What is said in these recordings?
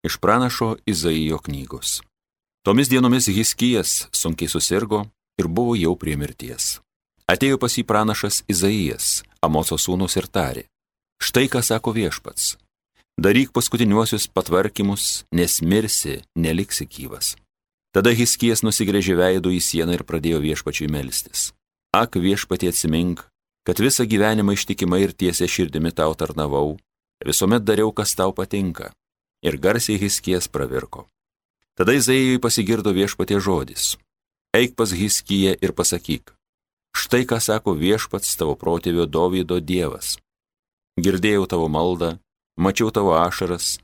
Iš pranašo Izaijo knygos. Tomis dienomis Hiskijas sunkiai susirgo ir buvo jau prie mirties. Atėjo pas jį pranašas Izaijas, Amoco sūnus, ir tarė: štai ką sako Viešpats. Daryk paskutiniuosius patvarkymus, nes mirsi, neliksi gyvas. Tada Hiskijas nusigręžė veidu į sieną ir pradėjo Viešpačiui melstis. Ak, Viešpatie, atsimink, kad visą gyvenimą ištikimai ir tiesia širdimi tau tarnavau, visuomet dariau, kas tau patinka. Ir garsiai Hiskijas pravirko. Tada Izaijui pasigirdo Viešpatie žodis: eik pas Hiskiją ir pasakyk: štai ką sako Viešpats, tavo protėvio Dovydo Dievas. Girdėjau tavo maldą, mačiau tavo ašaras,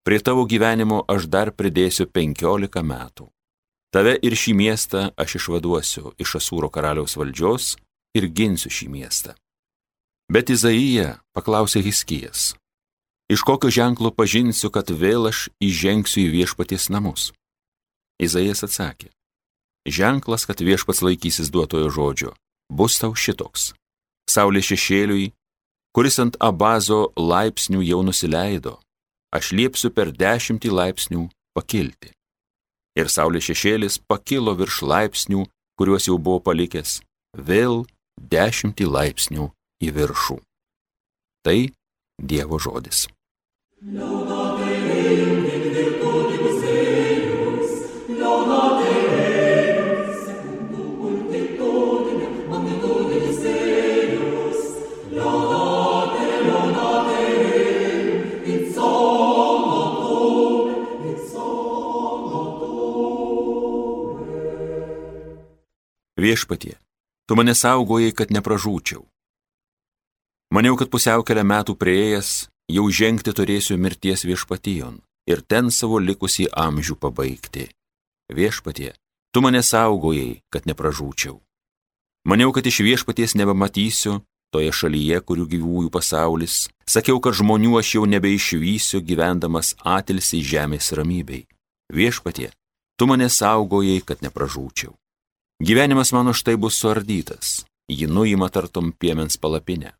prie tavo gyvenimo aš dar pridėsiu 15 metų. Tave ir šį miestą aš išvaduosiu iš Asūro karaliaus valdžios ir ginsiu šį miestą. Bet Izaija paklausė Hiskijas: iš kokio ženklo pažinsiu, kad vėl aš įžengsiu į Viešpaties namus? Izaijas atsakė: ženklas, kad Viešpats laikysis duotojo žodžio, bus tau šitoks: saulės šešėliui, kuris ant Abazo laipsnių jau nusileido, aš liepsiu per 10 laipsnių pakilti. Ir saulės šešėlis pakilo virš laipsnių, kuriuos jau buvo palikęs, vėl 10 laipsnių į viršų. Tai Dievo žodis. Viešpatie, tu mane saugojai, kad nepražūčiau. Maniau, kad pusiaukelę metų prieėjęs, jau žengti turėsiu mirties viešpatijon ir ten savo likusį amžių pabaigti. Viešpatie, tu mane saugojai, kad nepražūčiau. Maniau, kad iš Viešpaties nebematysiu toje šalyje, kurių gyvųjų pasaulis. Sakiau, kad žmonių aš jau nebeišvysiu, gyvendamas atilsį žemės ramybei. Viešpatie, tu mane saugojai, kad nepražūčiau. Gyvenimas mano štai bus suardytas, jį nuima tartum piemens palapinę.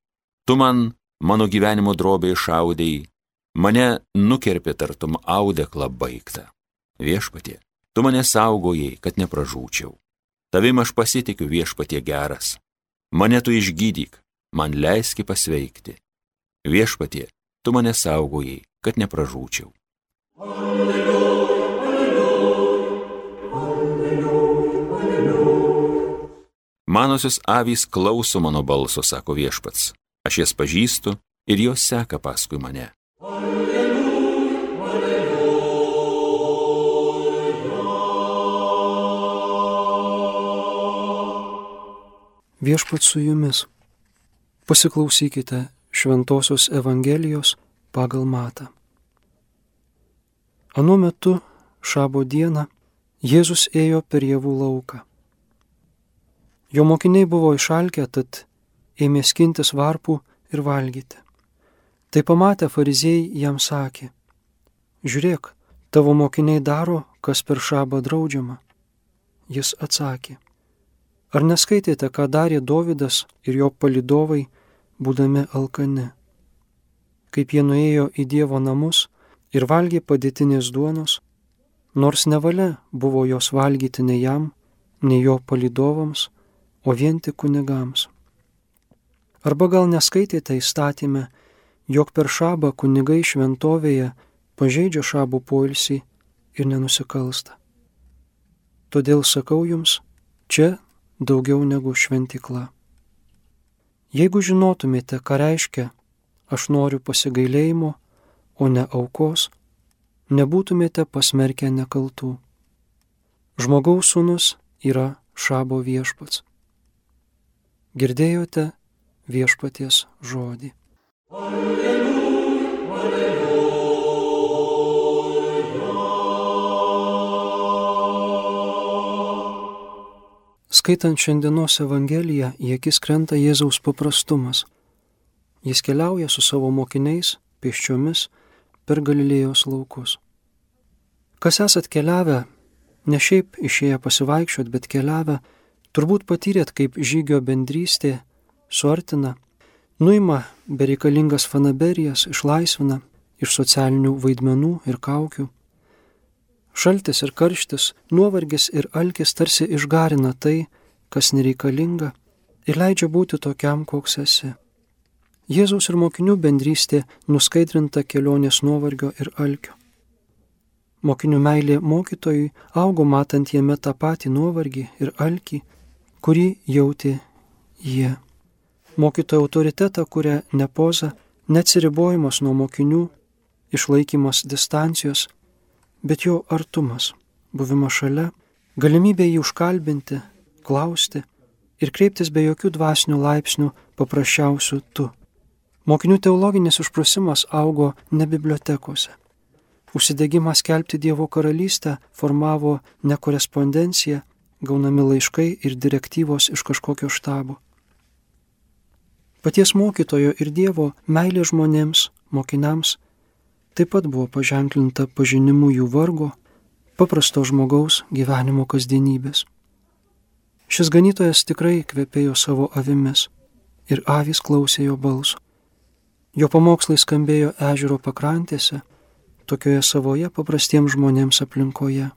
Tu man, mano gyvenimo drobė išaudėjai, mane nukerpė tartum audeklą baigtą. Viešpatie, tu mane saugojai, kad nepražūčiau. Tavim aš pasitikiu, Viešpatie geras. Mane tu išgydyk, man leiski pasveikti. Viešpatie, tu mane saugojai, kad nepražūčiau. Manosios avys klauso mano balso, sako Viešpats. Aš jas pažįstu ir jos seka paskui mane. Viešpats su jumis. Pasiklausykite Šventosios Evangelijos pagal Matą. Anuo metu, šabo dieną, Jėzus ėjo per javų lauką. Jo mokiniai buvo išalkę, tad ėmė skintis varpų ir valgyti. Tai pamatę fariziejai jam sakė: žiūrėk, tavo mokiniai daro, kas per šabą draudžiama. Jis atsakė: ar neskaitėte, ką darė Dovydas ir jo palydovai, būdami alkani? Kaip jie nuėjo į Dievo namus ir valgė padėtinės duonos, nors nevalia buvo jos valgyti nei jam, nei jo palydovams, o vien tik kunigams. Arba gal neskaitėte įstatyme, jog per šabą kunigai šventovėje pažeidžia šabo poilsį ir nenusikalsta. Todėl sakau jums, čia daugiau negu šventykla. Jeigu žinotumėte, ką reiškia aš noriu pasigailėjimo, o ne aukos, nebūtumėte pasmerkę nekaltų. Žmogaus sūnus yra šabo viešpats. Girdėjote Viešpaties žodį. Alleluja, alleluja. Skaitant šiandienos Evangeliją, į akis krenta Jėzaus paprastumas. Jis keliauja su savo mokiniais pėsčiomis per Galilėjos laukus. Kas esat keliavę, ne šiaip išėję pasivaikščiot, bet keliavę, turbūt patyrėt, kaip žygio bendrystė suartina, nuima bereikalingas fanaberijas, išlaisvina iš socialinių vaidmenų ir kaukių. Šaltis ir karštis, nuovargis ir alkis tarsi išgarina tai, kas nereikalinga, ir leidžia būti tokiam, koks esi. Jėzaus ir mokinių bendrystė nuskaidrinta kelionės nuovargio ir alkio. Mokinių meilė mokytojui augo matant jame tą patį nuovargį ir alkį, kurį jautė jie. Mokytojo autoritetą kuria ne poza, neatsiribojimas nuo mokinių, išlaikymas distancijos, bet jo artumas, buvimas šalia, galimybė jį užkalbinti, klausti ir kreiptis be jokių dvasinių laipsnių paprasčiausių tu. Mokinių teologinis užprusimas augo ne bibliotekose. Užsidegimas skelbti Dievo karalystę formavo ne korespondenciją, gaunami laiškai ir direktyvos iš kažkokio štabo. Paties mokytojo ir Dievo meilė žmonėms, mokiniams, taip pat buvo paženklinta pažinimu jų vargo, paprasto žmogaus gyvenimo kasdienybės. Šis ganytojas tikrai kvepėjo savo avimis ir avys klausė jo balso. Jo pamokslai skambėjo ežero pakrantėse, tokioje savoje paprastiems žmonėms aplinkoje.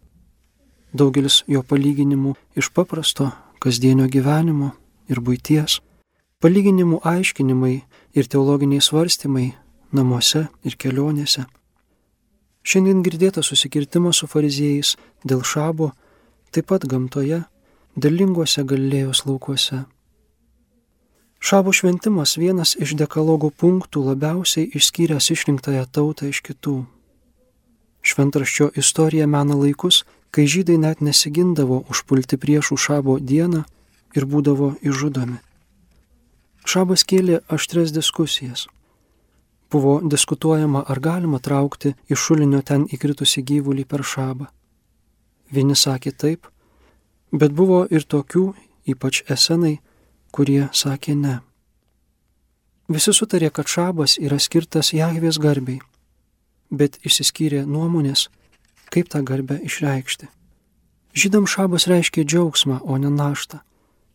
Daugelis jo palyginimų iš paprasto kasdienio gyvenimo ir buities, palyginimų aiškinimai ir teologiniai svarstymai namuose ir kelionėse. Šiandien girdėtas susikirtimas su fariziejais dėl šabo, taip pat gamtoje, derlinguose Galilėjos laukuose. Šabo šventimas vienas iš dekalogų punktų labiausiai išskyręs išrinktąją tautą iš kitų. Šventraščio istorija mena laikus, kai žydai net nesigindavo užpulti priešų šabo dieną ir būdavo išžudomi. Šabas kėlė aštrias diskusijas. Buvo diskutuojama, ar galima traukti iš šulinio ten įkritusi gyvulį per šabą. Vieni sakė taip, bet buvo ir tokių, ypač esenai, kurie sakė ne. Visi sutarė, kad šabas yra skirtas Jahvės garbei, bet išsiskyrė nuomonės, kaip tą garbę išreikšti. Žydams šabas reiškė džiaugsmą, o ne naštą.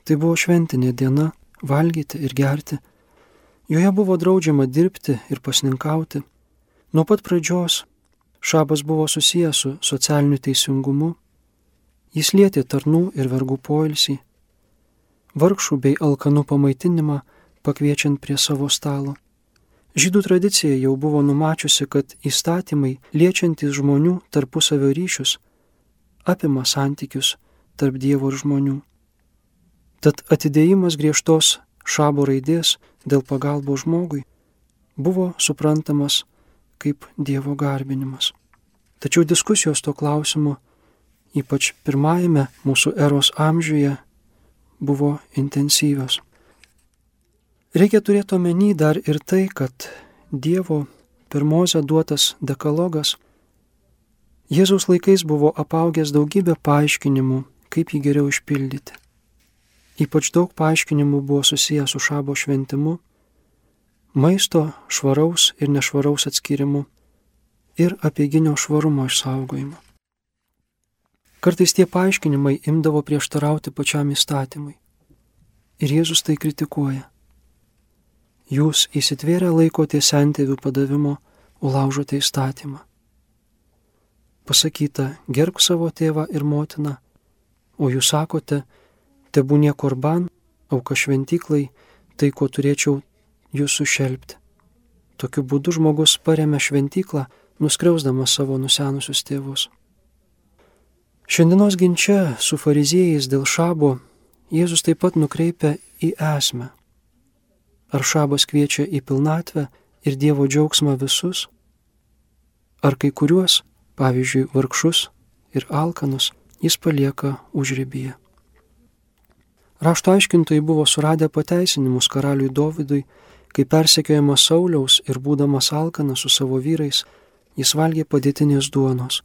Tai buvo šventinė diena, valgyti ir gerti. Joje buvo draudžiama dirbti ir pasninkauti. Nuo pat pradžios šabas buvo susijęs su socialiniu teisingumu. Jis lietė tarnų ir vergų poilsį, vargšų bei alkanų pamaitinimą pakviečiant prie savo stalo. Žydų tradicija jau buvo numačiusi, kad įstatymai liečiantys žmonių tarpusavio ryšius apima santykius tarp Dievo ir žmonių. Tad atidėjimas griežtos šabo raidės dėl pagalbos žmogui buvo suprantamas kaip Dievo garbinimas. Tačiau diskusijos to klausimu, ypač pirmajame mūsų eros amžiuje, buvo intensyvios. Reikia turėti omeny dar ir tai, kad Dievo per Mozę duotas dekalogas Jėzaus laikais buvo apaugęs daugybę paaiškinimų, kaip jį geriau išpildyti. Ypač daug paaiškinimų buvo susijęs su šabo šventimu, maisto švaraus ir nešvaraus atskirimu ir apeiginio švarumo išsaugojimu. Kartais tie paaiškinimai imdavo prieštarauti pačiam įstatymui. Ir Jėzus tai kritikuoja. Jūs įsitvėrę laikote sentėvių padavimo, ulaužote įstatymą. Pasakyta, gerbk savo tėvą ir motiną, o jūs sakote, tebūnie korban, auka šventyklai, tai ko turėčiau jūs sušelpti. Tokiu būdu žmogus paremia šventyklą, nuskriausdamas savo nusenusius tėvus. Šiandienos ginče su fariziejais dėl šabo Jėzus taip pat nukreipia į esmę. Ar šabas kviečia į pilnatvę ir Dievo džiaugsmą visus? Ar kai kuriuos, pavyzdžiui, vargšus ir alkanus, jis palieka užribyje? Rašto aiškintojai buvo suradę pateisinimus karaliui Dovydui, kai persekiojamas Sauliaus ir būdamas alkanas su savo vyrais, jis valgė padėtinės duonos,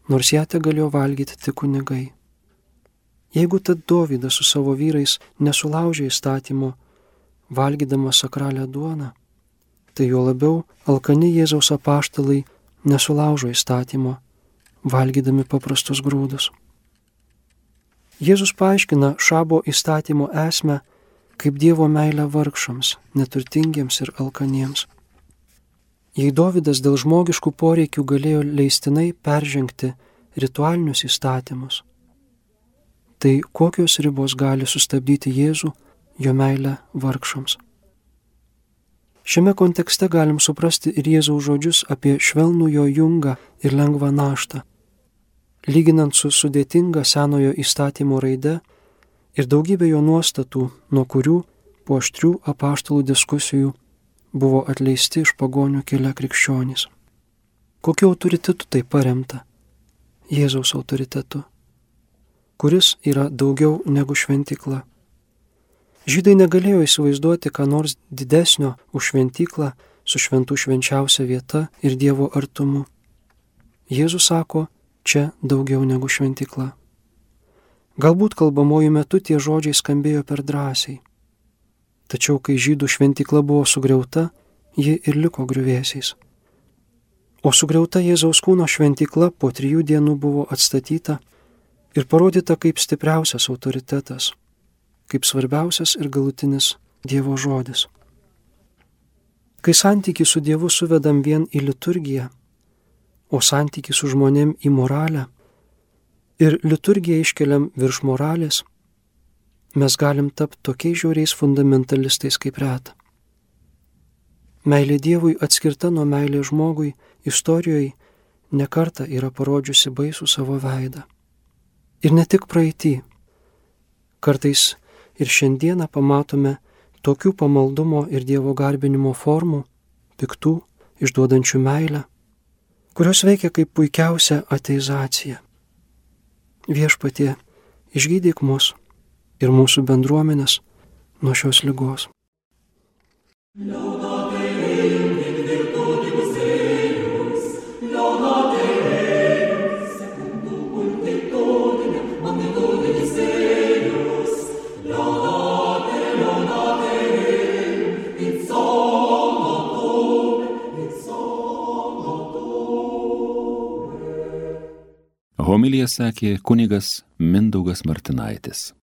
nors ją tegalėjo valgyti tik kunigai. Jeigu tad Dovydas su savo vyrais nesulaužė įstatymo, valgydamas sakralią duoną, tai jo labiau alkani Jėzaus apaštalai nesulaužo įstatymo, valgydami paprastus grūdus. Jėzus paaiškina šabo įstatymo esmę kaip Dievo meilę vargšams, neturtingiems ir alkaniems. Jei Dovydas dėl žmogiškų poreikių galėjo leistinai peržengti ritualinius įstatymus, tai kokios ribos gali sustabdyti Jėzų, jo meilę vargšams? Šiame kontekste galim suprasti ir Jėzaus žodžius apie švelnų jo jungą ir lengvą naštą, lyginant su sudėtinga senojo įstatymo raide ir daugybė jo nuostatų, nuo kurių po aštrių apaštalų diskusijų buvo atleisti iš pagonių kilę krikščionys. Kokiu autoritetu tai paremta? Jėzaus autoritetu, kuris yra daugiau negu šventykla. Žydai negalėjo įsivaizduoti ką nors didesnio už šventyklą su šventų švenčiausia vieta ir Dievo artumu. Jėzus sako, čia daugiau negu šventykla. Galbūt kalbamojų metu tie žodžiai skambėjo per drąsiai. Tačiau, kai žydų šventykla buvo sugriauta, ji ir liko griuvėsiais. O sugriauta Jėzaus kūno šventykla po 3 dienų buvo atstatyta ir parodyta kaip stipriausias autoritetas, kaip svarbiausias ir galutinis Dievo žodis. Kai santykį su Dievu suvedam vien į liturgiją, o santykį su žmonėm į moralę ir liturgiją iškeliam virš moralės, mes galim tapti tokiais žiauriais fundamentalistais kaip reta. Meilė Dievui atskirta nuo meilės žmogui istorijoje nekartą yra parodžiusi baisų savo veidą. Ir ne tik praeitį. Kartais ir šiandieną pamatome tokių pamaldumo ir Dievo garbinimo formų, piktų, išduodančių meilę, kurios veikia kaip puikiausia ateizacija. Viešpatie, išgydyk mus ir mūsų bendruomenės nuo šios ligos. Homiliją sakė kunigas Mindaugas Martinaitis.